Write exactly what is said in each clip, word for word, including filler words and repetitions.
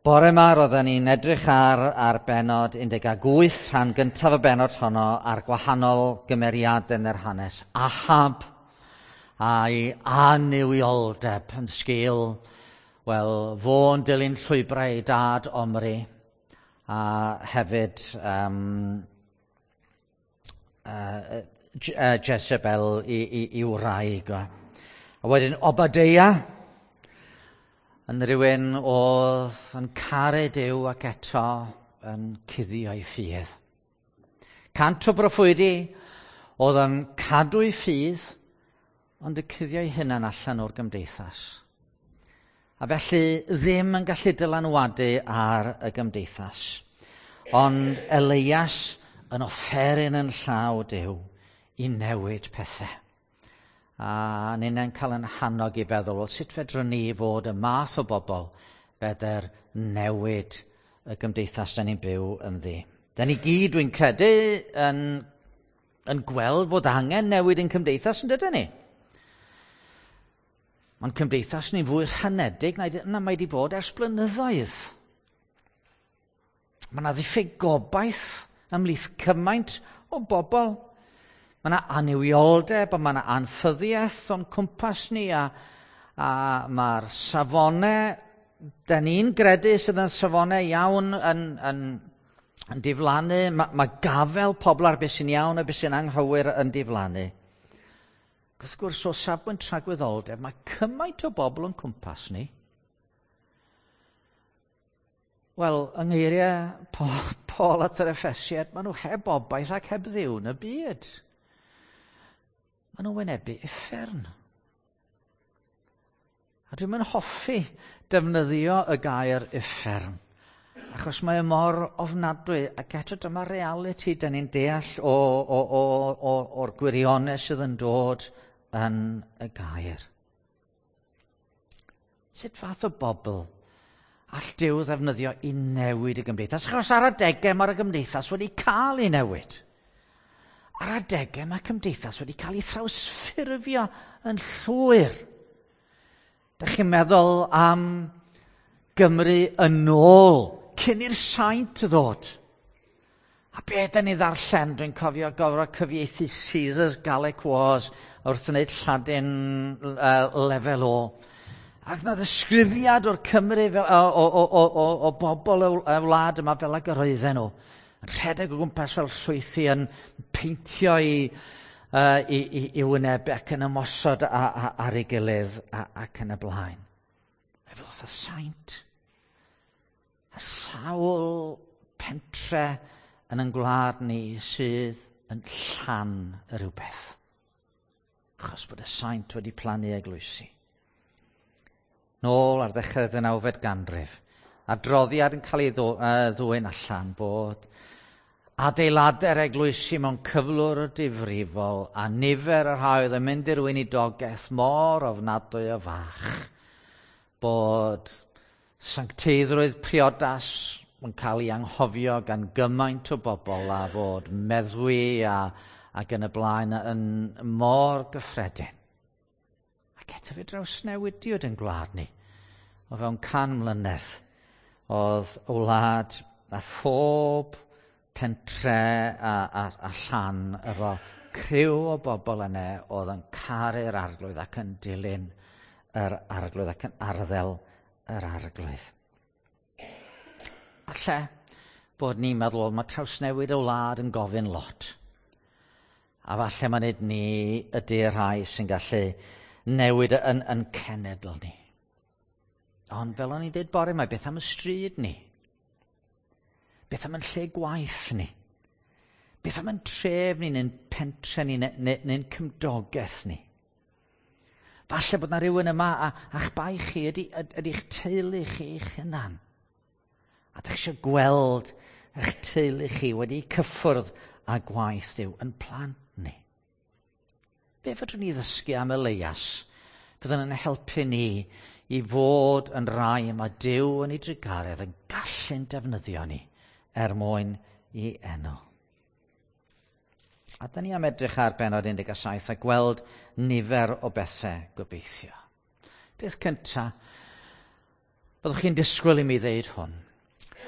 Bore yma roedden ni'n edrych ar, ar benod un deg wyth, rhan gyntaf y benod honno, ar gwahanol gymeriadau yn yr hanes. Ahab a'i annuwioldeb yn sgil, wel, fo'n dilyn llwybrau ei dad Omri, a hefyd um, uh, Jezebel i, i, i wraig. A wedyn Obadeia, yn rhywun oedd yn caru Duw ac eto yn cuddio ei ffydd. Cant o broffwydi oedd yn cadw ei ffydd, ond y cuddio ei hunan allan o'r gymdeithas. A felly ddim yn gallu dylanwadu ar y gymdeithas. Ond Elias yn offeryn yn llaw Duw i newid pethau. A ninnau'n cael yn hannog i feddwl, wel, sut fedrwn ni fod y math o bobl fedr newid y gymdeithas da ni'n byw ynddi. Da ni gyd, dwi'n credu, yn, yn gweld fod angen newid yn cymdeithas, yn dydyn ni? Mae'n cymdeithas ni'n fwy rhanedig na, na mae wedi bod ers blynyddoedd. Mae yna ddiffyg gobaith ymhlith cymaint o bobl. Mae yna annuwioldeb a mae yna anffyddiaeth o'n cwmpas ni a, a mae'r safonau, da ni'n gredu sydd yn safonau iawn yn, yn, yn diflannu. Mae, mae gafel pobl ar beth sy'n iawn a beth sy'n anghywir yn diflannu. Wrth gwrs, o safbwynt tragwyddoldeb, mae cymaint o bobl o'n cwmpas ni. Wel, yng ngeiriau Paul at yr Effesiaid, maen nhw heb obaith ac heb Dduw yn y byd. Maen nhw'n wynebu uffern. A dwi'n mynd hoffi defnyddio y gair uffern, achos mae e mor ofnadwy, ac eto dyma realiti da ni'n deall o, o, o, o, o'r gwirionedd sydd yn dod yn y gair. Sut fath o bobl all Duw ddefnyddio i newid y gymdeithas? Achos ar adegau mae'r gymdeithas wedi cael ei newid. Ar adegau mae cymdeithas wedi cael ei thrawsffurfio yn llwyr. Dych chi'n meddwl am Gymru yn ôl, cyn i'r saint ddod. A be da ni ddarllen, dwi'n cofio gorfod cyfieithu Caesar's Gallic Wars wrth wneud Lladin uh, lefel O. Ac na ddisgrifiad o'r Cymru fel, o, o, o, o, o bobl y wlad yma fel ag yr oedden nhw. Yn rhedeg o gwmpas fel llwythi, yn peintio i, uh, i, i, i wynebau ac yn ymosod a, a, ar ei gilydd a, ac yn y blaen. Efo ddoth y saint. A sawl pentre yn ein gwlad ni sydd yn llan y rhywbeth. Achos bod y saint wedi plannu eglwysi. Nôl ar ddechrau'r ddeunawfed ganrif, adroddiad yn cael ei ddwyn allan bod adeiladau'r eglwysi mewn cyflwr difrifol a nifer y rhai oedd yn mynd i'r weinidogaeth mor ofnadwy o fach bod sancteiddrwydd priodas yn cael ei anghofio gan gymaint o bobl a fod meddwi a, ac yn y blaen yn mor gyffredin. Ac eto fe drawsnewidiwyd yn gwlad ni. O fewn can mlynedd oedd y wlad a phob pentre a, a, a llan efo criw o bobl yna oedd yn caru'r arglwydd ac yn dilyn yr arglwydd ac yn arddel yr arglwydd. Alle bod ni'n meddwl, mae trawsnewid y wlad yn gofyn lot. A falle mae nid ni ydy'r rhai sy'n gallu newid yn, yn cenedl ni. Ond fel o'n i'n dweud bore yma, beth am y stryd ni? Beth am yn lle gwaith ni? Beth am yn tref ni, neu'n pentre ni, neu'n neu, neu cymdogaeth ni? Falle bod na rhywun yma a, a'ch bai chi ydy, ydy'ch teulu chi eich hunan. A dych chi eisiau gweld eich teulu chi wedi cyffwrdd â gwaith Duw yn plant ni. Be fedrwn ni ddysgu am Elias byddwn yn helpu ni i fod yn rai mae Duw yn ei drugaredd yn gallu'n defnyddio ni er mwyn i enw. A da ni am edrych ar bennod un deg saith a gweld nifer o bethau gobeithio. Beth cyntaf, Byddwch chi'n disgwyl i mi ddeud hwn.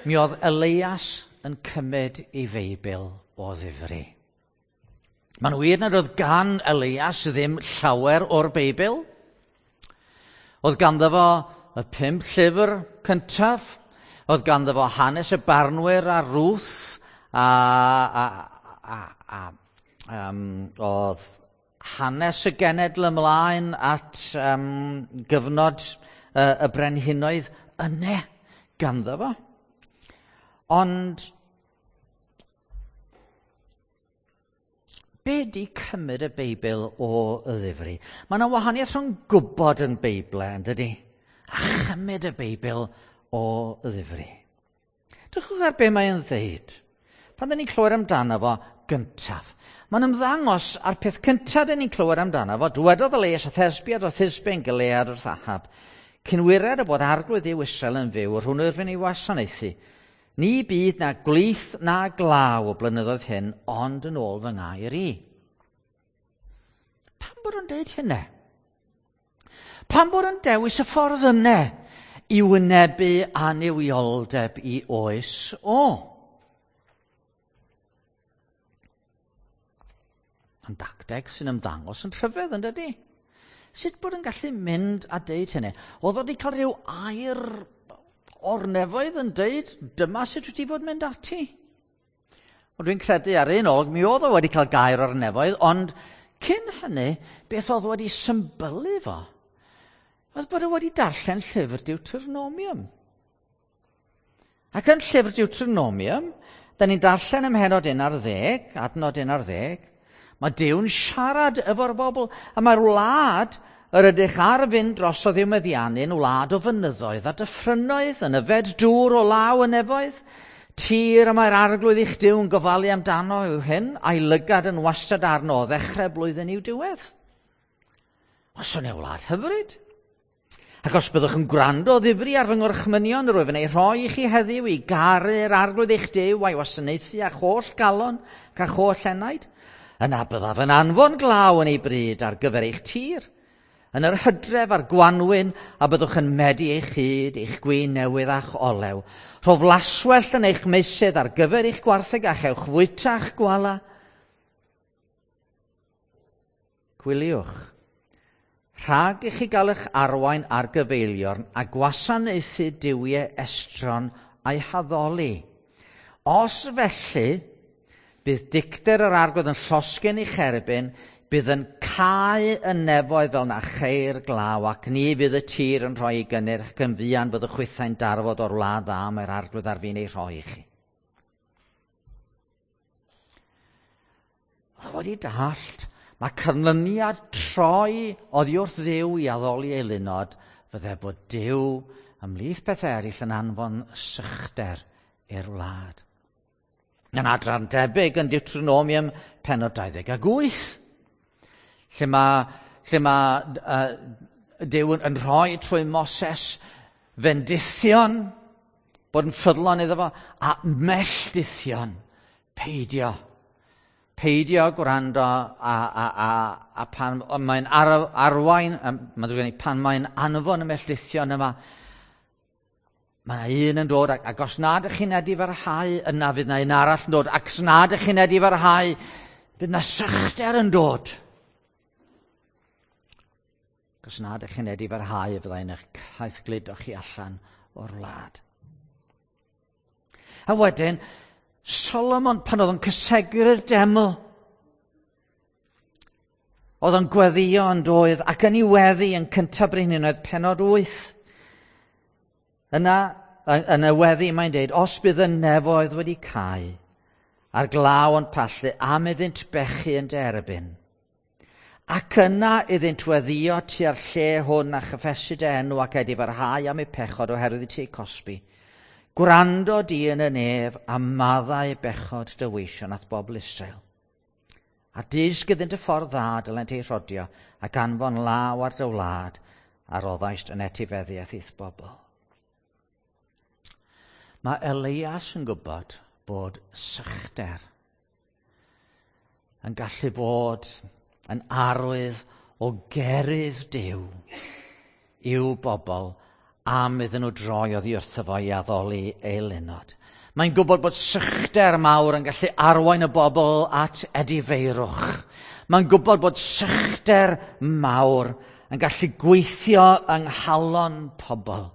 Mi oedd Elias yn cymryd ei Feibl o ddifri. Mae'n wir nad oedd gan Elias ddim llawer o'r Beibl. Oedd ganddo fo y pump llyfr cyntaf. Oedd ganddo fo hanes y barnwyr a Ruth a, a, a, a um, oedd hanes y genedl ymlaen at um, gyfnod uh, y brenhinoedd yne ganddo fo. Ond be di cymryd y Beibl o y ddifri? Mae yna wahaniaeth rhwng gwybod yn Beibl, yn dydy? A chymryd y Beibl o y ddifri. Drychwch ar be mae'n ddeud. Pan dyn ni'n clywed amdano fo gyntaf. Mae'n ymddangos ar peth cyntaf dyn ni'n clywed amdano fo. Dywedodd Elias a Thesbiad o Thisbe yn Gilead wrth Ahab. Cynwired y bod arglwydd Dduw Israel yn fyw, yr hwnnw yrfyn ei wasanaethu. Ni bydd na gwlith na glaw o blynyddoedd hyn, ond yn ôl fy ngair i. Pam bod o'n deud hynna? Pam bod o'n dewis y ffordd yna i wynebu annuwioldeb i oes o? Mae'n dacteg sy'n ymddangos yn rhyfedd, yn dydy? Sut bod yn gallu mynd a deud hynny? Oedd o wedi cael rhyw air o'r nefoedd yn deud, dyma sut wyt ti fod mynd ati. Ond dwi'n credu ar un olwg, mi oedd o wedi cael gair o'r nefoedd, ond cyn hynny, beth oedd wedi symbylu fo? Oedd bod o wedi darllen llyfr Deuteronomium. Ac yn llyfr Deuteronomium, da ni'n darllen ym mhennod un ar ddeg, adnod un ar ddeg, mae Duw'n siarad efo'r bobl, a mae'r wlad yr ydych ar fynd drosodd i'w meddiannu'n wlad o fynyddoedd a dyffrynnoedd, yn yfed dŵr o law y nefoedd. Tir y mae'r arglwydd eich Duw yn gofalu amdano yw hyn, a'i lygad yn wastad arno o ddechrau blwyddyn i'w diwedd. Os o'n ei wlad hyfryd. Ac os byddwch yn gwrando o ddifri ar fy ngorchmynion, yr wyf yn ei rhoi i chi heddiw i garu'r arglwydd eich Duw a'i wasanaethu â'ch holl galon ac â'ch holl enaid, yna byddaf yn anfon glaw yn ei bryd ar gyfer eich tir, yn yr hydref a'r gwanwyn, a byddwch yn medi eich hyd, eich gwin newydd a'ch olew. Rho flaswellt yn eich meysydd ar gyfer eich gwartheg a chewch fwyta'ch gwala. Gwyliwch, rhag i chi gael eich arwain ar gyfeiliorn a gwasanaethu duwiau estron a'i haddoli. Os felly, bydd dicter yr arglwydd yn llosgi eich erbyn, bydd yn cau y nefoedd fel na cheir glaw, ac ni fydd y tir yn rhoi ei gynnyrch, ac yn fuan bydd y chwythau'n darfod o'r wlad dda mae'r arglwydd ar fin ei rhoi i chi. Oedd o wedi dallt, mae canlyniad troi oddi wrth Dduw i addoli eilunod fydde bod Duw ymhlith pethau eraill yn anfon sychder i'r wlad. Yn adran debyg yn Deuteronomium pennod dau ddeg ag wyth, lle mae, lle mae uh, Duw yn rhoi trwy Moses fendithion, bod yn ffyddlon iddo fo, a melldithion, peidio. Peidio gwrando a, a, a, a pan mae'n ar, arwain, mae'n ddrwg gen i, pan mae'n anfon y melldithion yma, mae yna un yn dod, ac, ac os nad ydych chi'n edifarhau, yna fydd yna un arall yn dod, ac os nad ydych chi'n edifarhau, fydd yna sychder yn dod. Ac os nad ydych chi'n edifarhau, fyddai'n eich caethgludo chi allan o'r wlad. A wedyn, Solomon, pan oedd o'n cysegru'r deml, oedd o'n gweddio yn doedd, ac yn ei weddi yn cyntaf brenhinoedd pennod wyth. Yna, yn y weddi mae'n deud, os bydd y nefoedd wedi cau, a'r glaw yn pallu, am iddynt bechu yn derbyn, ac yna iddynt weddio tua'r lle hwn a chyffesu dy enw ac edifarhau am eu pechod oherwydd i ti eu cosbi. Gwrando di yn y nef a maddau bechod dy weision at bobl Israel. A dysg iddynt y ffordd dda dylent ei rhodio ac anfon law ar dy wlad a roddaist yn etifeddiaeth i'th bobl. Mae Elias yn gwybod bod sychder yn gallu bod yn arwydd o gerydd Duw i'w bobl am iddyn nhw droi oddi wrtho fo i addoli eilunod. Mae'n gwybod bod sychder mawr yn gallu arwain y bobl at edifeirwch. Mae'n gwybod bod sychder mawr yn gallu gweithio yng nghalon pobl.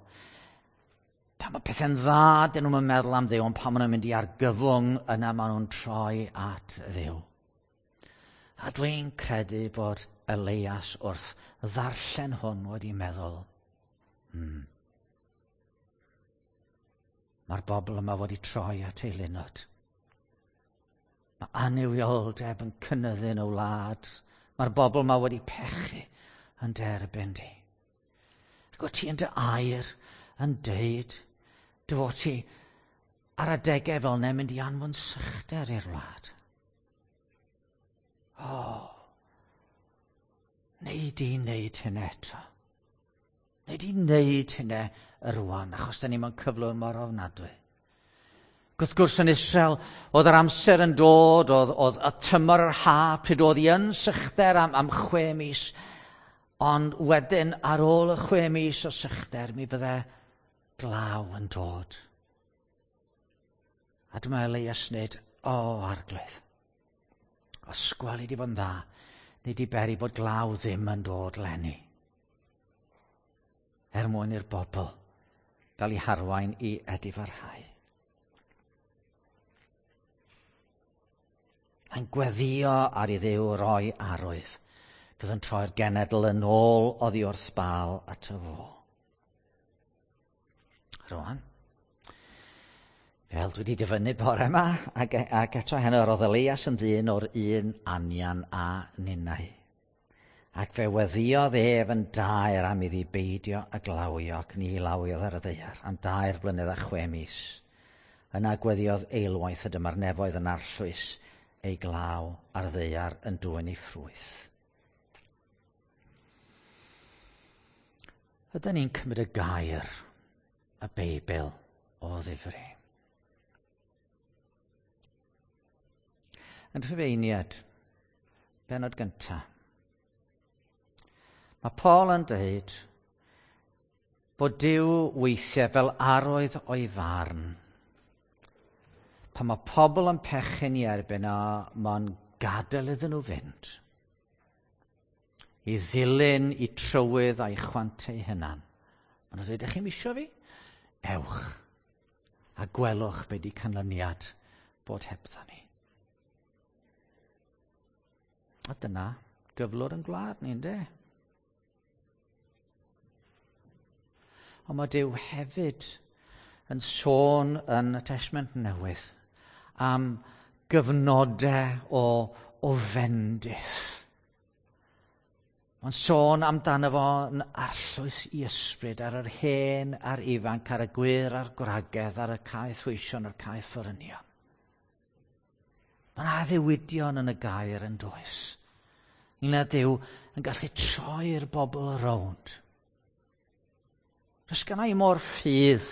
Pan mae pethau'n dda, dyn nhw'n meddwl am Dduw, ond pan maen nhw'n mynd i argyfwng, yna maen nhw'n troi at Dduw. A dwi'n credu bod Elias wrth ddarllen hwn wedi meddwl, hmm, mae'r bobl yma wedi troi at eilunod. Mae annuwioldeb yn cynyddu yn y wlad. Mae'r bobl yma wedi pechu yn derbyn di. Ac o ti yn dy air yn deud dy fod ti ar adegau fel yna mynd i anfon sychder i'r wlad. O, oh, neu di wneud hynny eto. Neu di wneud hynny rwan, achos da ni mewn cyflwr mor ofnadwy. Wrth gwrs yn Israel, oedd yr amser yn dod, oedd, oedd y tymor yr ha, pryd oedd hi yn sychder am, am chwe mis, ond wedyn ar ôl y chwe mis o sychder, mi fydde glaw yn dod. A dyma Elias wneud, o Arglwydd, os gweli di fod yn dda, nid i beri bod glaw ddim yn dod leni. Er mwyn i'r bobl gael eu harwain i edifarhau. Mae'n gweddio ar i Dduw roi arwydd. Bydd yn troi'r genedl yn ôl oddi wrth Baal ato fo. Rwan, fel dwi wedi dyfynnu bore yma, ac, ac eto heno, roedd Elias yn ddyn o'r un anian a ninnau. Ac fe weddiodd ef yn daer am iddi beidio a glawio ac ni lawiodd ar y ddaear am dair blynedd a chwe mis. Yna gweddiodd eilwaith y dyma'r nefoedd yn arllwys ei glaw ar ddaear yn dwyn ei ffrwyth. Ydyn ni'n cymryd y gair, y Beibl, o ddifri? Yn Rhufeiniad, bennod gyntaf, mae Paul yn dweud bod Duw weithiau fel arwydd o'i farn. Pan mae pobl yn pechu'n ei erbyn o, mae'n gadael iddyn nhw fynd. I ddilyn i trywydd a'i chwant eu hunan. Maen nhw'n dweud, ydych chi'n isio fi? Ewch a gwelwch be di canlyniad bod hebdda ni. A dyna gyflwr yn gwlad ni, ynddo? Ond mae Duw hefyd yn sôn yn y Testament Newydd am gyfnodau o, o fendith. Mae'n sôn amdano fo yn arllwys i ysbryd ar yr hen a'r ifanc, ar y gwŷr a'r gwragedd, ar y caethweision a'r caethforynion. Mae'n addewidion yn y gair yn does. Ynglŷn â Duw yn gallu troi'r bobl rownd. Does gynna i mor ffydd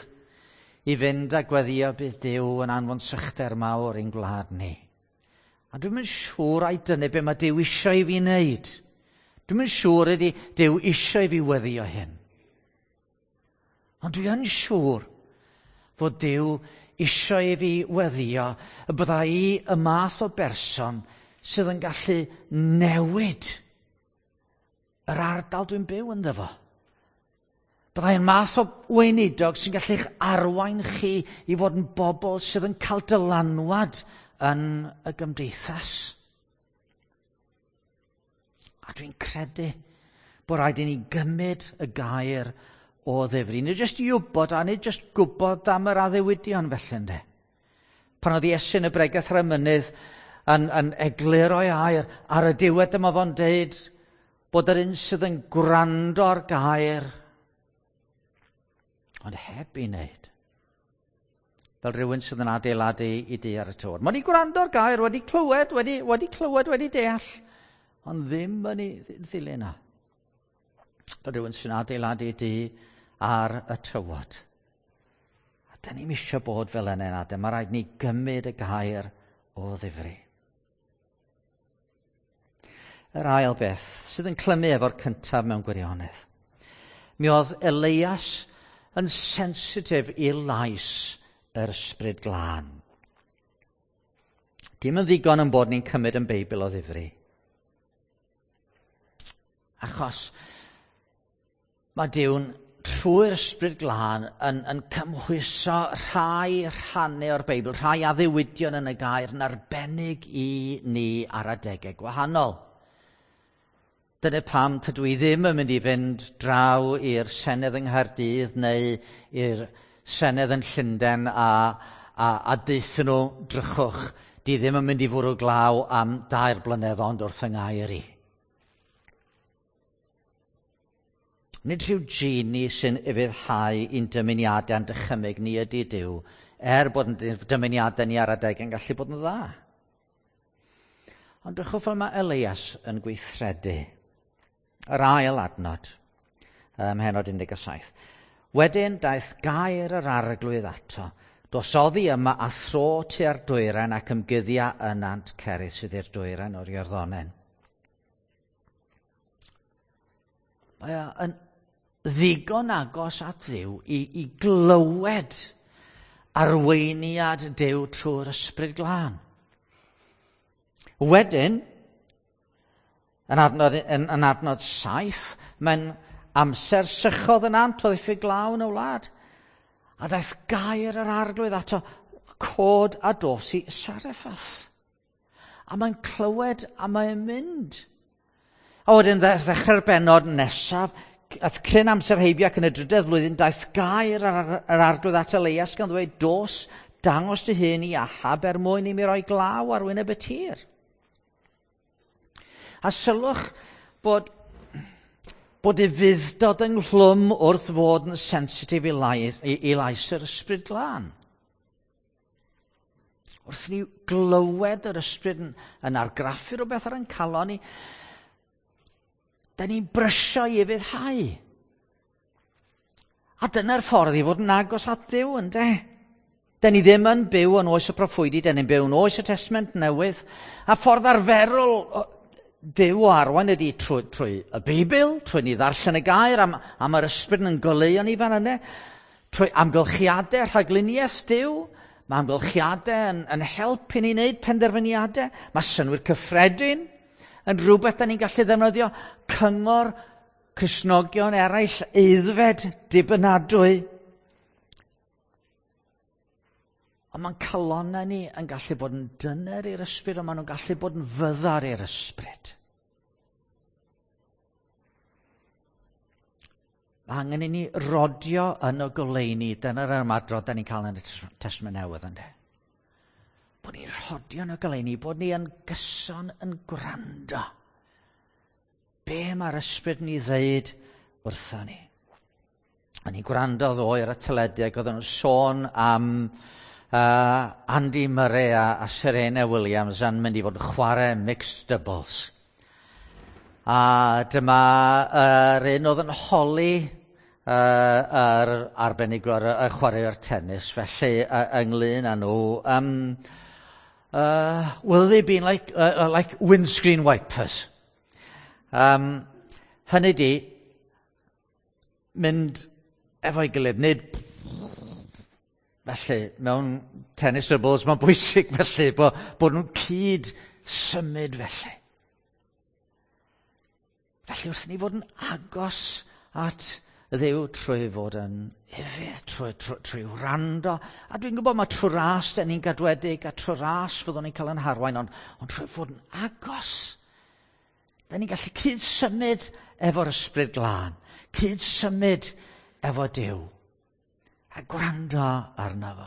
i fynd a gweddio bydd Duw yn anfon sychder mawr i'n gwlad ni. A dwi'm yn siŵr ai dyna be mae Duw eisiau i fi wneud. Dwi'm yn siŵr ydy Duw eisiau i fi weddio hyn. Ond dwi yn siŵr fod Duw eisiau i fi weddio y bydda i y math o berson sydd yn gallu newid yr ardal dwi'n byw ynddo fo. Byddai'n math o weinidog sy'n gallu'ch arwain chi i fod yn bobl sydd yn cael dylanwad yn y gymdeithas. A dwi'n credu bod rhaid i ni gymryd y gair o ddifri. Nid jyst i wybod a nid jyst gwybod am yr addewidion felly, ynddo. Pan oedd Iesu yn y bregeth ar y mynydd yn, yn egluro ei air, ar y diwedd dyma fo'n deud bod yr un sydd yn gwrando ar gair, ond heb i wneud. Fel rhywun sydd yn adeiladu i dŷ ar y tywod. Mae wedi gwrando ar gair, wedi clywed, wedi, wedi clywed, wedi deall, ond ddim yn ei ddilyn o. Fel rhywun sy'n adeiladu i dŷ ar y tywod. A da ni'm eisiau bod fel yna yn adeg. Mae rhaid ni gymryd y gair o ddifri. Yr ail beth sydd yn clymu efo'r cyntaf mewn gwirionedd. Mi oedd Elias yn sensitif i lais yr Ysbryd Glân. Dim yn ddigon yn bod ni'n cymryd yn Beibl o ddifri. Achos mae Duw'n trwy'r Ysbryd Glân yn, yn cymhwyso rhai rhannau o'r Beibl, rhai addewidion yn y gair yn arbennig i ni ar adegau gwahanol. Dyna pam tydw i ddim yn mynd i fynd draw i'r Senedd yng Nghaerdydd neu i'r Senedd yn Llundain a, a, a deutha nhw, drychwch, di ddim yn mynd i fwrw glaw am dair blynedd ond wrth yng ngair i. Nid rhyw genie sy'n ufuddhau i'n dymuniadau a'n dychymyg ni ydy Duw, er bod yn dymuniadau ni ar adeg yn gallu bod yn dda. Ond drychwch fel mae Elias yn gweithredu. Yr ail adnod, ym mhennod un deg saith. Wedyn daeth gair yr Arglwydd ato. Dos oddi yma a thro tua'r dwyrain ac ymguddia yn nant Cerith sydd i'r dwyrain o'r Iorddonen. Mae o yn ddigon agos at Dduw i, i glywed arweiniad Duw trwy'r Ysbryd Glân. Wedyn, yn adnod, yn, yn adnod saith, mae'n amser sychodd yn ant o ddiffyg glaw yn y wlad. A daeth gair yr Arglwydd ato, cod a dos i Sareffath. A mae'n clywed a mae'n mynd. A wedyn ddechrau'r bennod nesaf, at cryn amser heibio ac yn y drydedd flwyddyn, daeth gair yr, yr Arglwydd at Elias gan ddweud, dos, dangos dy hun i Ahab er mwyn i mi roi glaw ar wyneb y tir. A sylwch bod, bod ufudd-dod ynghlwm wrth fod yn sensitif i lais, i, i lais yr Ysbryd Glân. Wrth ni glywed yr Ysbryd yn, yn argraffu rhywbeth ar ein calon ni, da ni'n brysio i ufuddhau. A dyna'r ffordd i fod yn agos at Dduw, ynde? Da ni ddim yn byw yn oes y proffwydi, da ni'n byw yn oes y Testament Newydd. A ffordd arferol Duw o arwain ydy trwy, trwy y Beibl, trwy ni ddarllen y gair am, am yr Ysbryd yn goleuo ni fan yna, trwy amgylchiadau rhagluniaeth Duw. Mae amgylchiadau yn, yn helpu ni wneud penderfyniadau. Mae synnwyr cyffredin yn rhywbeth da ni'n gallu ddefnyddio. Cyngor Cristnogion eraill aeddfed dibynadwy. Ond mae'n calonnau ni yn gallu bod yn dyner i'r Ysbryd, ond maen nhw'n gallu bod yn fyddar i'r Ysbryd. Mae angen i ni rodio yn y goleuni. Dyna'r ymadrodd da ni'n cael yn y Testament Newydd, ynddo. Bod ni'n rhodio yn y goleuni, bod ni yn gyson yn gwrando. Be mae'r Ysbryd ni ddeud wrtho ni? O'n i'n gwrando ddoe ar y teledu ac oedden nhw'n sôn am Uh, Andy Murray a, a Serena Williams yn mynd i fod yn chwarae mixed doubles. A dyma yr un oedd yn holi uh, yr arbenigwr y chwaraewr tennis, felly uh, ynglyn â nhw, um, uh, will they be like, uh, like windscreen wipers? Um, hynny di, mynd efo'i gilydd, nid felly, mewn tennis doubles, mae'n bwysig felly bod, bod nhw'n cyd symud felly. Felly wrth ni fod yn agos at Dduw trwy fod yn ufudd, trwy, trwy, trwy wrando. A dwi'n gwybod mae trwy ras da ni'n gadwedig a trwy ras fyddwn ni'n cael yn harwain, ond, ond trwy fod yn agos, da ni'n gallu cyd symud efo'r Ysbryd Glân, cyd symud efo Duw. A gwrando arno fo.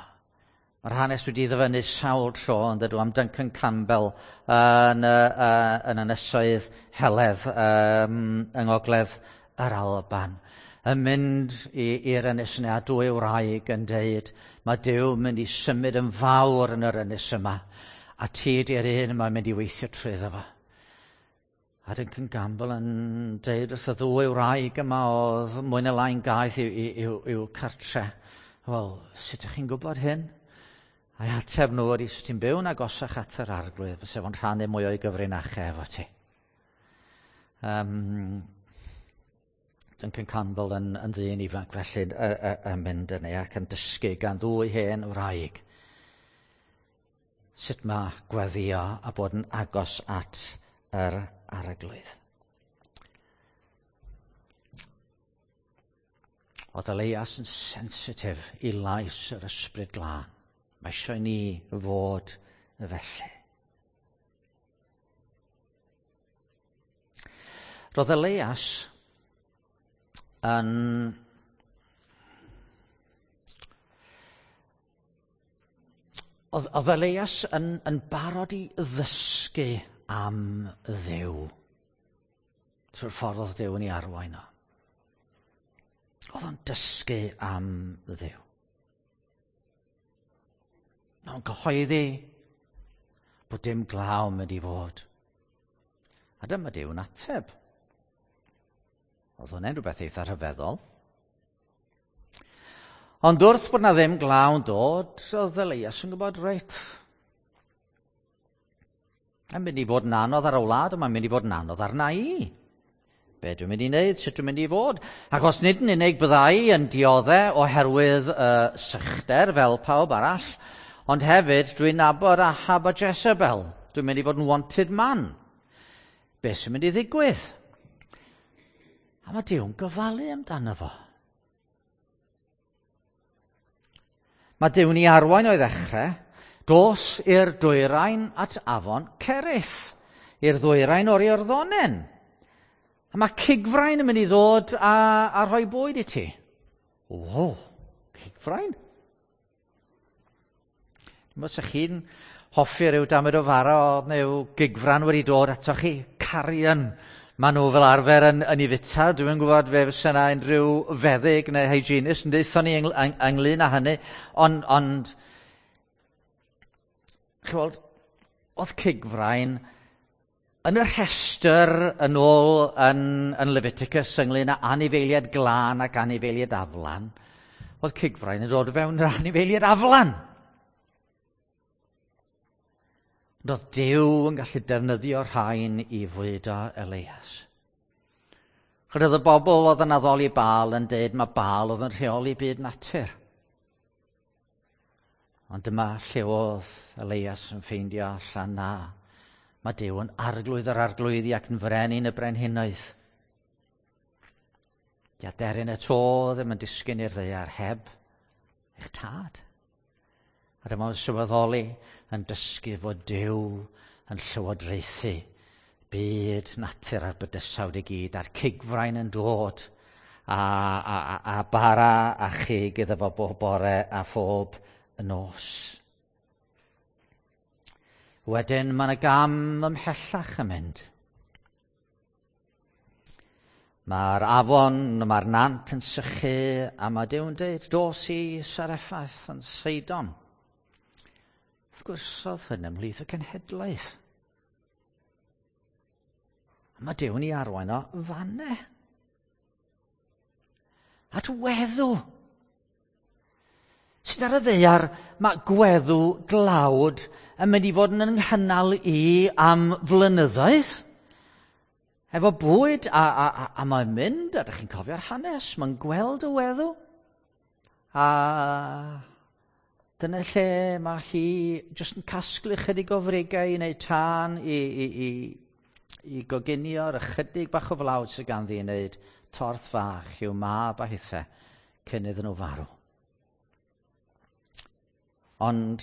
Mae'r hanes wedi ddyfynnu sawl tro yn dydw am Duncan Campbell yn, uh, yn ynysoedd Heledd um, yng Ngogledd yr Alban. Yn mynd i'r ynys yna a dwy wraig yn deud, mae Duw mynd i symud yn fawr yn yr ynys yma, a ti di'r un mae'n mynd i weithio trwyddo fo. A Duncan Campbell yn deud wrth y ddwy wraig yma oedd mwy na lai'n gaeth i'w, i'w, i'w cartre. Wel, sut ydych chi'n gwybod hyn? A'i ateb nhw ydy, sut ti'n byw'n agosach at yr Arglwydd, fysa fo'n rhannu mwy o'i gyfrinachau efo ti. Um, Duncan Campbell yn, yn ddyn ifanc felly yn mynd yna ac yn dysgu gan ddwy hen wraig sut mae gweddio a bod yn agos at yr Arglwydd. Oedd Elias yn sensitif i lais yr Ysbryd Glân. Mae eisiau ni fod felly. Roedd Elias yn Oedd, oedd Elias yn, yn barod i ddysgu am Dduw trwy'r ffordd oedd Duw yn ei arwain o. Oedd o'n dysgu am Dduw. Mae'n cyhoeddi bod dim glaw yn mynd i fod. A dyma Duw'n ateb. Oedd hwnna'n rhywbeth eitha rhyfeddol. Ond wrth bod na ddim glaw yn dod, oedd Elias yn gwybod, reit, mae'n mynd i fod yn anodd ar y wlad, ond mae'n mynd i fod yn anodd arna i. Be dwi'n mynd i wneud, sut dwi'n mynd i fod? Achos nid yn unig byddai yn diodde oherwydd uh, sychder fel pawb arall, ond hefyd dwi'n nabod Ahab a Jezebel. Dwi'n mynd i fod yn wanted man. Be sy'n mynd i ddigwydd? A mae Duw'n gofalu amdano fo. Mae Duw'n ei arwain o'i ddechrau, dos i'r dwyrain at afon Cerith, i'r ddwyrain o'r Iorddonen. A mae cigfrain yn mynd i ddod a, a rhoi bwyd i ti. O, cigfrain? Dim os ych chi'n hoffi rhyw damed o fara neu gigfran wedi dod atoch chi, carrion. Maen nhw fel arfer yn, yn ei fita. Dwi'n gwybod fe fysa yna unrhyw feddyg neu hygienist yn deutha ni yng, yng, ynglyn â hynny. Ond, ond chi'n weld, oedd cigfrain yn y rhestr yn ôl yn, yn Leviticus ynglyn â anifeiliaid glân ac anifeiliaid aflan. Oedd cigfrain yn dod fewn yr anifeiliaid aflan. Ond oedd Duw yn gallu defnyddio rhain i fwydo Elias. Chyd oedd y bobl oedd yn addoli Baal yn deud mae Baal oedd yn rheoli byd natur. Ond dyma lle oedd Elias yn ffeindio allan na. Mae Duw yn arglwydd yr arglwyddi ac yn frenin y brenhinoedd. Di aderyn y to ddim yn disgyn i'r ddaear heb eich tad. A dyma o'n sylweddoli yn dysgu fod Duw yn llywodraethu byd natur a'r bydysawd i gyd, a'r cigfrain yn dod, a, a, a, a bara a chig iddo fo bob bore a phob nos. Wedyn mae yna gam ymhellach yn mynd. Mae'r afon, mae'r nant yn sychu, a mae Duw'n dweud, dos i Sareffath yn Seidon. Wrth gwrs, oedd hyn ymhlith y cenhedlaeth. A mae Duw'n ei arwain o fanne. At weddw. Sydd ar y ddaear, mae gweddw dlawd yn mynd i fod yn nghynnal i am flynyddoedd. Efo bwyd, a, a, a, a mae'n mynd, a ydych chi'n cofio'r hanes, mae'n gweld y weddw. A dyna lle mae hi jyst yn casglu chydig o frigau i wneud tân i, i, i, i goginio'r ychydig bach o flawd sydd ganddi i wneud torth fach i'w mab a hithe cyn iddyn nhw farw. Ond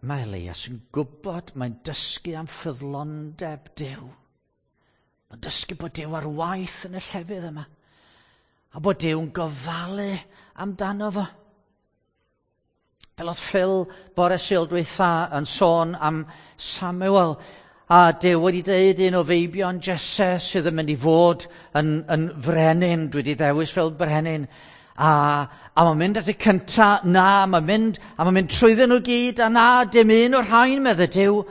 mae Elias yn gwybod, mae'n dysgu am ffyddlondeb Duw. Mae'n dysgu bod Duw ar waith yn y llefydd yma. A bod Duw'n gofalu amdano fo. Fel oedd Phil bore Sul dwytha yn sôn am Samuel, a Duw wedi deud un o feibion Jesse sydd yn mynd i fod yn, yn frenin, dwi wedi ddewis fel brenin. A, a mae'n mynd at y cynta, na, mae'n mynd, a mae'n mynd trwyddyn nhw gyd, a na, dim un o'r rhain, medde Duw.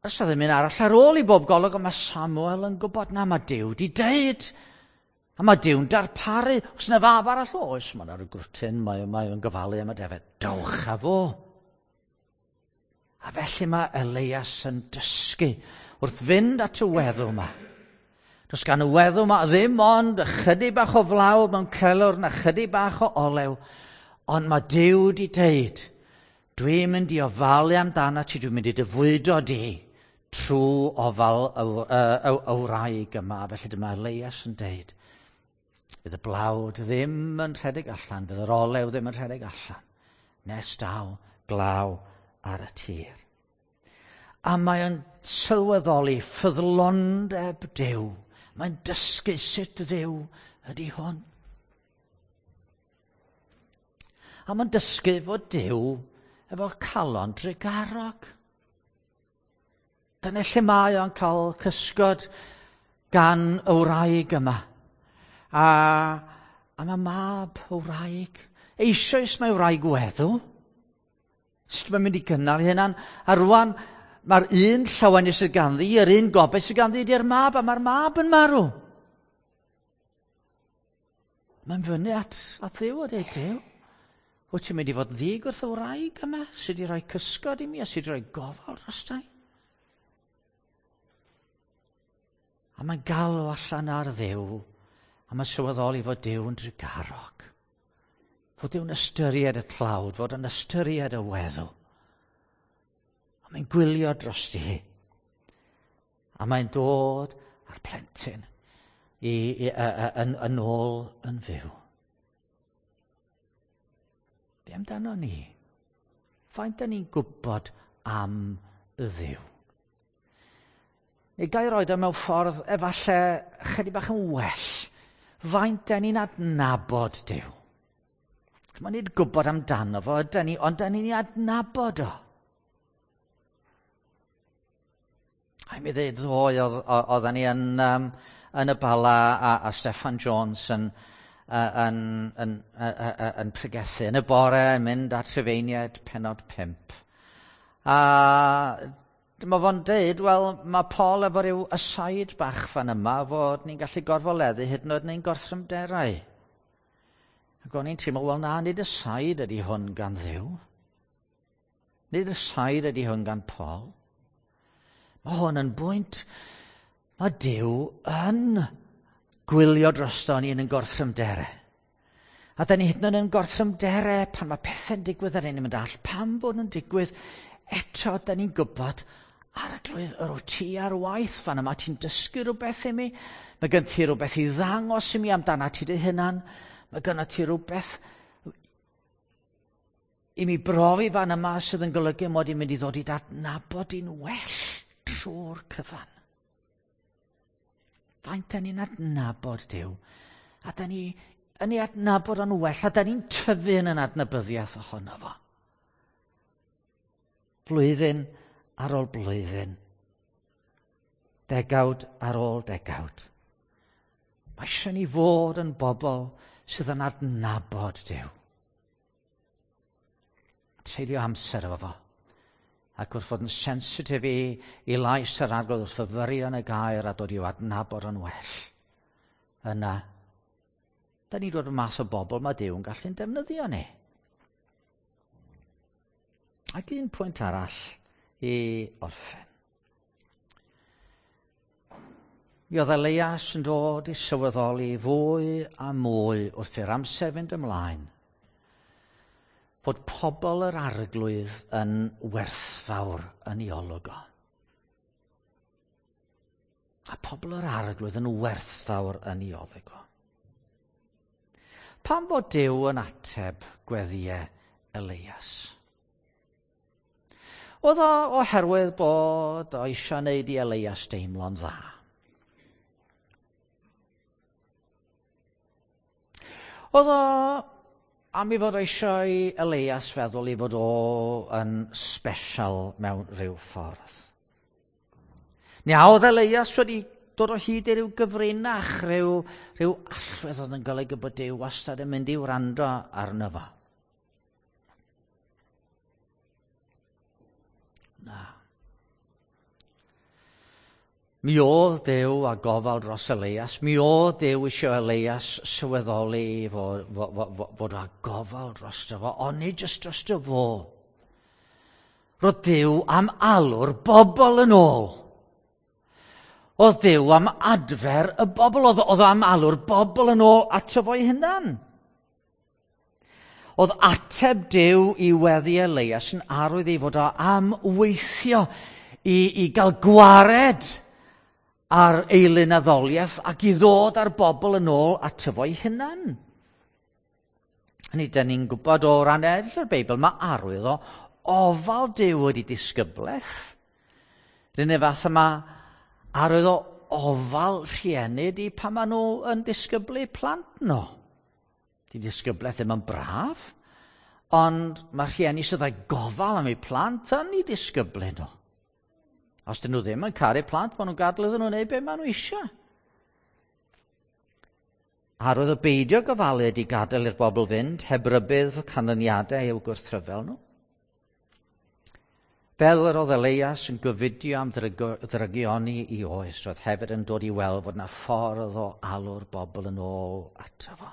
Os oedd ddim un arall ar ôl i bob golwg, ond mae Samuel yn gwybod, na, mae Duw di deud. A mae Duw'n darparu. Os yna fab arall, oes, mae'n ar y grwtyn, mae, mae o'n gofalu am y defed. Dowch â fo. A felly mae Elias yn dysgu wrth fynd at y weddw yma. Does gan y weddw yma ddim ond ychydig bach o flawd mewn celwr na chydig bach o olew, ond mae Duw di deud, dwi'n mynd i ofalu amdano ti, dwi'n mynd i dy fwydo di trwy ofal y, y, y, y wraig yma. Felly dyma Elias yn deud, fydd y blawd ddim yn rhedeg allan, fydd yr olew ddim yn rhedeg allan, nes daw glaw ar y tir. A mae o'n sylweddoli ffyddlondeb Duw. Mae'n dysgu sut Dduw ydy hwn. A mae'n dysgu fod Duw efo calon drugarog. Dyna lle mae o'n cael cysgod gan y wraig yma. A, a mae mab y wraig. Eisoes mae wraig weddw. Sut mae'n mynd i gynnal ei hunan? A rwan, mae'r un llawenydd sydd ganddi, yr un gobaith sydd ganddi ydy'r mab, a mae'r mab yn marw. Mae'n fyny at, at Dduw a dweud, Duw, wyt ti'n mynd i fod yn ddig wrth y wraig yma sydd wedi rhoi cysgod i mi a sydd wedi rhoi gofal drosta i? A mae'n galw allan ar Dduw, a mae'n sylweddoli fod Duw yn drugarog. Fod Duw'n ystyried y tlawd, fod yn ystyried y weddw. A mae'n gwylio drosti hi. A mae'n dod â'r plentyn i, i, yn, yn ôl yn fyw. Be amdano ni? Faint da ni'n gwybod am y Dduw? Neu gael roed o mewn ffordd efallai chydig bach yn well. Faint da ni'n adnabod Duw? Mae'n nid gwybod amdano fo, ydan ni, ond da ni'n ei adnabod o. A mi ddweud ddoe, oedden ni yn, um, yn y Bala a, a Steffan Jones yn, yn, yn, yn, yn pregethu yn y bore yn mynd at Rhufeiniaid pennod pump. A dyma fo'n deud, wel, mae Paul efo ryw aside bach fan yma fod ni'n gallu gorfoleddu hyd yn oed neu'n gorthrymderau. Ac o'n i'n teimlo, wel na, nid aside ydy hwn gan Dduw. Nid aside ydy hwn gan Paul. Mae hwn yn bwynt, mae Duw yn gwylio drosto ni yn ein gorthrymderau. A da ni hyd yn oed yn gorthrymderau pan mae pethau'n digwydd ar ein mynd all, pam bod nhw'n digwydd, eto da ni'n gwybod, Arglwydd, yr wyt ti ar waith fan yma, ti'n dysgu rhywbeth i mi, mae gen ti rhywbeth i ddangos i mi amdana ti dy hunan, mae gen ti rhywbeth i mi brofi fan yma sydd yn golygu mod i'n mynd i ddod i adnabod i'n well trwy'r cyfan. Faint da ni'n adnabod Duw, a da ni yn ei adnabod o'n well, a da ni'n tyfu yn yn adnabyddiaeth ohono fo. Blwyddyn ar ôl blwyddyn, degawd ar ôl degawd. Mae eisiau ni fod yn bobl sydd yn adnabod Duw. Treulio amser efo fo. Ac wrth fod yn sensitif i, i lais yr Arglwydd, wrth fyfyrio yn y gair a dod i'w adnabod yn well. Yna, da ni'n dod yn mas o bobl mae Duw yn gallu'n defnyddio ni. Ac un pwynt arall i orffen. Mi oedd Elias yn dod i sylweddoli fwy a mwy wrth i'r amser fynd ymlaen fod pobl yr Arglwydd yn werthfawr yn ei olwg o. A pobl yr Arglwydd yn werthfawr yn ei olwg o. Pam fod Duw yn ateb gweddïau Elias? Oedd o oherwydd bod o eisiau wneud i Elias deimlo'n dda. Oedd o am i fod eisiau i Elias feddwl i fod o yn special mewn rhyw ffordd. Neu a oedd Elias wedi dod o hyd i ryw gyfrinach, rhyw, rhyw allwedd oedd yn golygu bod Duw wastad yn mynd i wrando arno fo. Na. Mi oedd Duw a gofal dros Elias. Mi oedd Duw eisiau Elias sylweddoli fod, fod, fod, fod a gofal drosto fo, ond nid jyst drosto fo. Roedd Duw am alw'r bobl yn ôl. Oedd Duw am adfer y bobl, oedd, oedd am alw'r bobl yn ôl ato fo'i hunan. Oedd ateb Duw i weddi Elias yn arwydd ei fod o am weithio i, i gael gwared ar eilunaddoliaeth ac i ddod â'r bobl yn ôl ato fo'i hunan. Hynny, dyn ni'n gwybod o ran eraill o'r Beibl, mae arwydd o ofal Duw wedi disgyblaeth. R'un fath yma arwydd o ofal rhieni di pan maen nhw yn disgyblu plant nhw. Di disgyblaeth ddim yn braf, ond mae rhieni sydd â gofal am eu plant yn eu disgyblu nhw. Os dyn nhw ddim yn caru plant, maen nhw'n gadael iddyn nhw wneud beth maen nhw eisiau. Arwydd o beidio gofalu ydy gadael i'r bobl fynd heb rybudd canlyniadau i'w gwrthryfel nhw. Fel yr oedd Elias yn gofidio am ddrygioni i oes, roedd hefyd yn dod i weld fod yna ffordd o alw'r bobl yn ôl ato fo.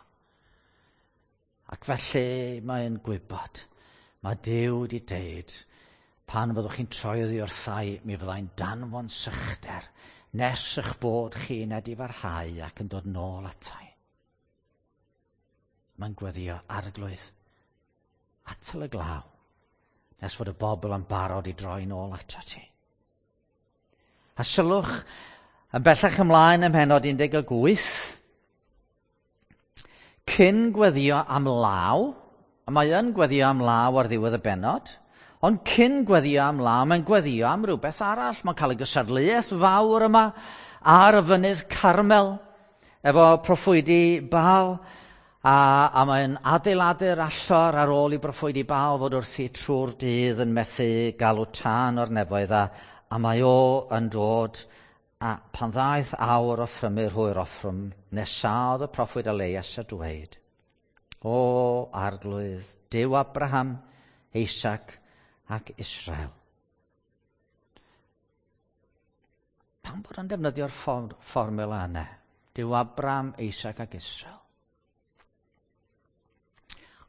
Ac felly mae'n gwybod, mae Duw wedi deud, pan fyddwch chi'n troi oddi wrthai, mi fyddai'n danfon sychder, nes eich bod chi'n edifarhau ac yn dod nôl atai. Mae'n gweddio, Arglwydd, atal y glaw, nes fod y bobl yn barod i droi nôl ato ti. A sylwch, yn bellach ymlaen ym mhennod un deg wyth, cyn gweddio am law, a mae yn gweddio am law ar ddiwedd y bennod, ond cyn gweddio am law, mae'n gweddio am rhywbeth arall. Mae'n cael y gystadleuaeth fawr yma ar y fynydd Carmel, efo proffwydi Baal, a, a mae'n adeiladu'r allor ar ôl i broffwydi Baal fod wrthi trwy'r dydd yn methu galw tân o'r nefoedd, a, a mae o yn dod, a pan ddaeth awr offrymu'r hwyr offrwm, nesaodd y proffwyd Elias a dweud, O Arglwydd, Duw Abraham, Isaac ac Israel. Pam bod o'n defnyddio'r fformula yna? Duw Abraham, Isaac ac Israel.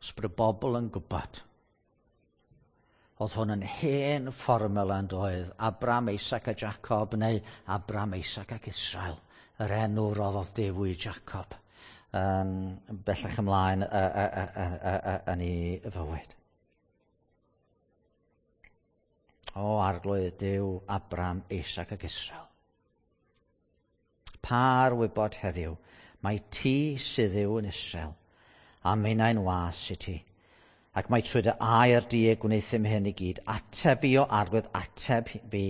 Os bod y bobl yn gwybod, oedd hwn yn hen fformula yn doedd, Abraham, Isaac a Jacob, neu Abraham, Isaac ac Israel, yr enw roddodd Duw i Jacob, yn bellach ymlaen yn ei fywyd. O Arglwydd Duw, Abraham, Isaac ac Israel. Pa'r wybod heddiw, mae ti sydd yw yn Israel, a minnau'n was i ti. Ac mae trwy dy air di y gwneuthum hyn i gyd. Ateb fi o Arglwydd, ateb fi.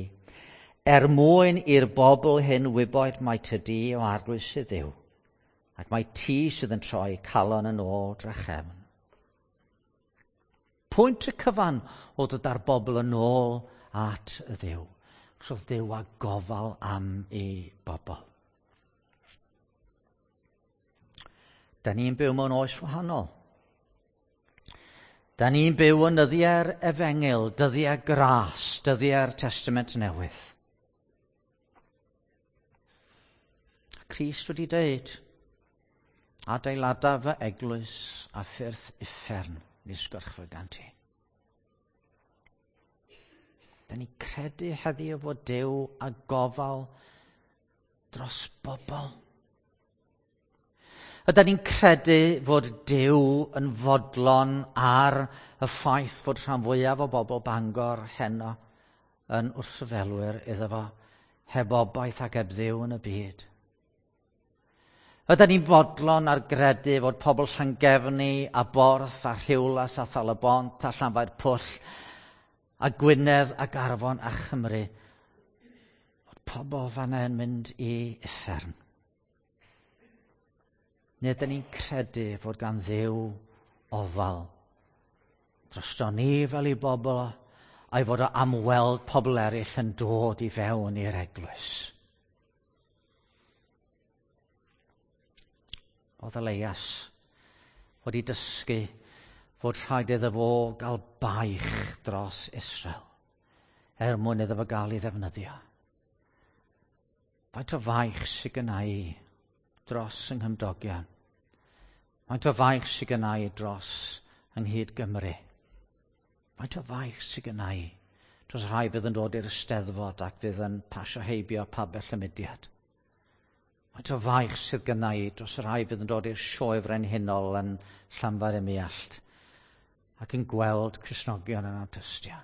Er mwyn i'r bobl hyn wybod mai ty di o Arglwydd sydd yw, ac mae ti sydd yn troi calon yn ôl drachefn. Pwynt y cyfan o dod â'r bobl yn ôl at y Dduw. Achos oedd Duw â gofal am ei bobl. Da ni'n byw mewn oes wahanol. Da ni'n byw yn nyddiau'r Efengyl, dyddiau gras, dyddiau'r Testament Newydd. Crist wedi dweud, adeilada fy eglwys a ffyrdd uffern nis gorchfyg ti. Da ni'n credu heddiw fod Duw a gofal dros bobl. Ydan ni'n credu fod Duw yn fodlon ar y ffaith fod rhan fwyaf o bobl Bangor heno yn wrthryfelwyr iddo fo, heb obaith ac heb Dduw yn y byd. Ydan ni'n fodlon ar gredu fod pobl Llangefni a Borth a Rhiwlas a Thalybont a Llanfair Pwll a Gwynedd ac Arfon a Chymru, fod pobl fanna yn mynd i uffern. Neu ydyn ni'n credu fod gan Dduw ofal drosto ni fel ei bobl, a'i fod o am weld pobl eraill yn dod i fewn i'r eglwys. Oedd Elias wedi dysgu fod rhaid iddo fo gael baich dros Israel er mwyn iddo fo gael ei ddefnyddio. Faint o faich sydd gynna i dros yng nghymdogion? Faint o faich sydd gynna i dros yng nghyd Gymru? Faint o faich sydd gynna i dros rhai fydd yn dod i'r Eisteddfod ac fydd yn pasio heibio pabell y mudiad? Faint o faich sydd gynna i dros y rhai fydd yn dod i'r sioe frenhinol yn Llanfair-ym-Muallt ac yn gweld Cristnogion yn artystio.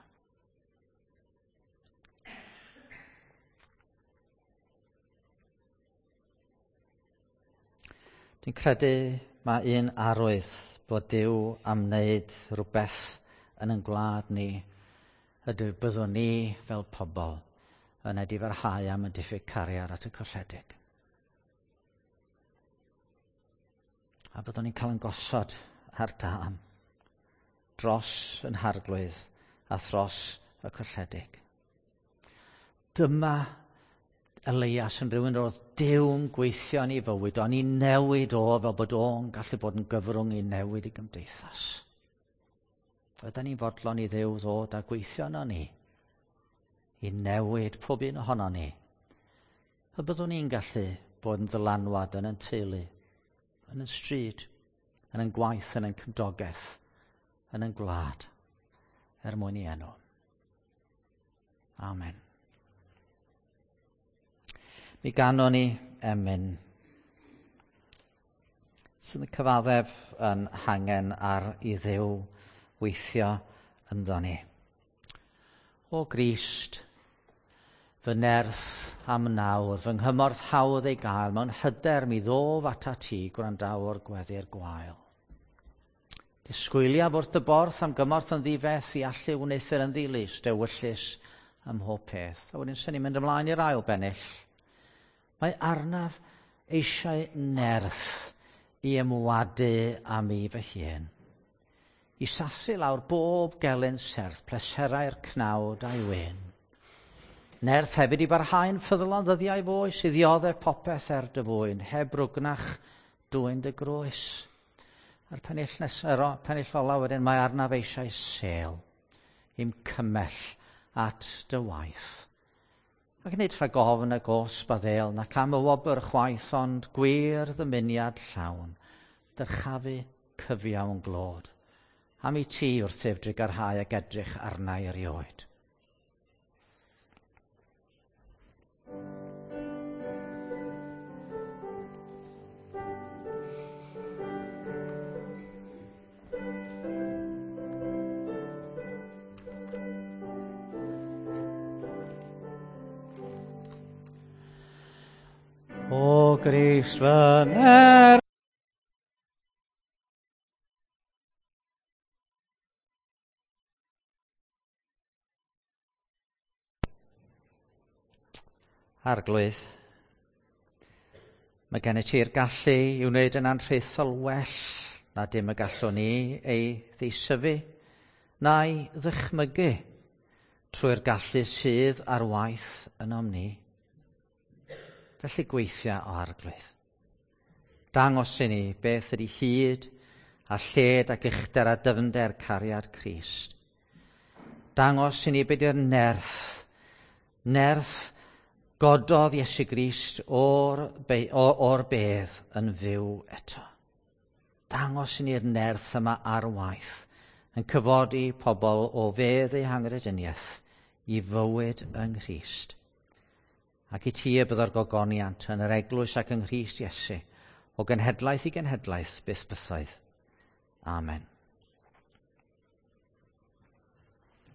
Dwi'n credu mae un arwydd bod Duw am wneud rhywbeth yn ein gwlad ni ydy byddwn ni fel pobl yn edifarhau am y diffyg cariad at y colledig. A byddwn ni'n cael yn gosod ar dân dros yn harglwydd a thros y colledig. Dyma Elias yn rhywun oedd Duw'n gweithio yn ei fywyd, o'n i newid o fel bod o'n gallu bod yn gyfrwng i newid i gymdeithas. Ydan ni'n fodlon i Dduw ddod a gweithio yno ni, i newid pob un ohono ni. A byddwn ni'n gallu bod yn ddylanwad yn ein teulu, yn ein stryd, yn ein gwaith, yn ein cymdogaeth, yn ein gwlad, er mwyn i enw. Amen. Mi ganon ni emyn sydd yn cyfaddef yn hangen ar i Dduw weithio ynddo ni. O Grist, fy nerth am nawdd, fy nghymorth hawdd ei gael, mewn hyder mi ddof atat ti, gwrandawr gweddi'r gwael. Disgwyliaf wrth y borth am gymorth yn ddifeth i allu wneuthur yn ddilys, dewyllys ym mhob peth. A wedyn sy'n ni'n mynd ymlaen i'r ail bennill. Mae arnaf eisiau nerth i ymwadu â mi fy hun. I sathru lawr bob gelyn serth, pleserau'r cnawd a'i wên. Nerth hefyd i barhau'n ffyddlon ddyddiau foes, i ddioddef popeth er dy fwyn, heb rwgnach dwyn dy groes. A'r pennill nesaf, pennill ola wedyn, mae arnaf eisiau sêl i'm cymell at dy waith. Ac nid rhag ofn y gosb a ddêl, nac am y wobr chwaith, ond gwir ddymuniad llawn, dyrchafu cyfiawn glod. Am i ti wrthyf drugarhau ac edrych arna i erioed. O Grist fy nerth, Arglwydd, mae gen i ti'r gallu i wneud yn anrhaethol well na dim y gallwn ni ei ddeisyfu na'i ddychmygu trwy'r gallu sydd ar waith ynom ni. Felly gweithia o Arglwydd. Dangos i ni beth ydy hyd a lled ac uchder a dyfnder cariad Crist. Dangos i ni beth yw'r nerth, nerth gododd Iesu Grist o'r, be, o'r bedd yn fyw eto. Dangos i ni'r nerth yma ar waith yn cyfodi pobl o fedd eu hanghrediniaeth i fywyd yng Nghrist. Ac i ti y byddo'r gogoniant yn yr eglwys ac yng Nghrist Iesu, o genhedlaeth i genhedlaeth byth bythoedd. Amen.